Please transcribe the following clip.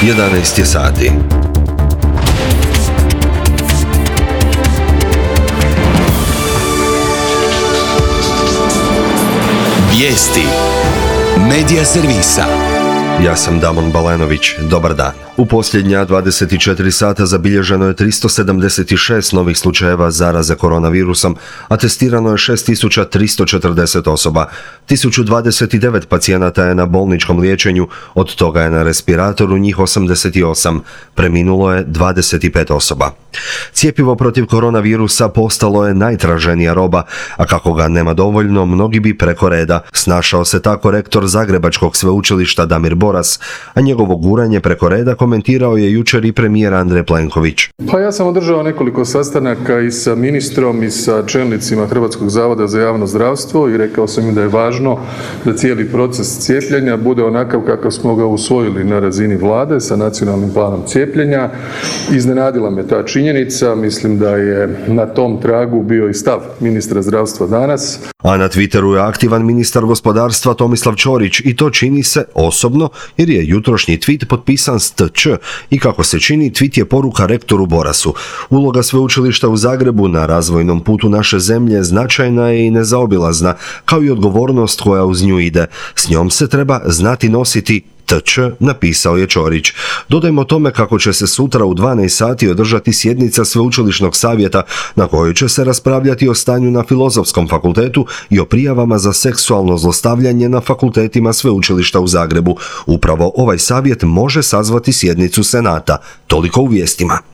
11 je sati. Vijesti Medija servisa. Ja sam Damon Balenović, dobar dan. U posljednja 24 sata zabilježeno je 376 novih slučajeva zaraze koronavirusom, a testirano je 6340 osoba. 1029 pacijenata je na bolničkom liječenju, od toga je na respiratoru njih 88, preminulo je 25 osoba. Cjepivo protiv koronavirusa postalo je najtraženija roba, a kako ga nema dovoljno, mnogi bi preko reda. Snašao se tako rektor Zagrebačkog sveučilišta Damir Boras, a njegovo guranje preko reda komentirao je jučer i premijer Andrej Plenković. Pa ja sam održao nekoliko sastanaka i sa ministrom i sa čelnicima Hrvatskog zavoda za javno zdravstvo i rekao sam im da je važno da cijeli proces cijepljenja bude onakav kakav smo ga usvojili na razini vlade sa nacionalnim planom cijepljenja. Iznenadila me ta činjenica, mislim da je na tom tragu bio i stav ministra zdravstva danas. A na Twitteru je aktivan ministar gospodarstva Tomislav Ćorić i to čini se osobno jer je jutrošnji tweet potpisan s TČ i kako se čini tweet je poruka rektoru Borasu. Uloga sveučilišta u Zagrebu na razvojnom putu naše zemlje značajna je i nezaobilazna, kao i odgovornost koja uz nju ide. S njom se treba znati nositi. TČ, napisao je Ćorić. Dodajmo tome kako će se sutra u 12 sati održati sjednica sveučilišnog savjeta na kojoj će se raspravljati o stanju na Filozofskom fakultetu i o prijavama za seksualno zlostavljanje na fakultetima sveučilišta u Zagrebu. Upravo ovaj savjet može sazvati sjednicu Senata. Toliko u vijestima.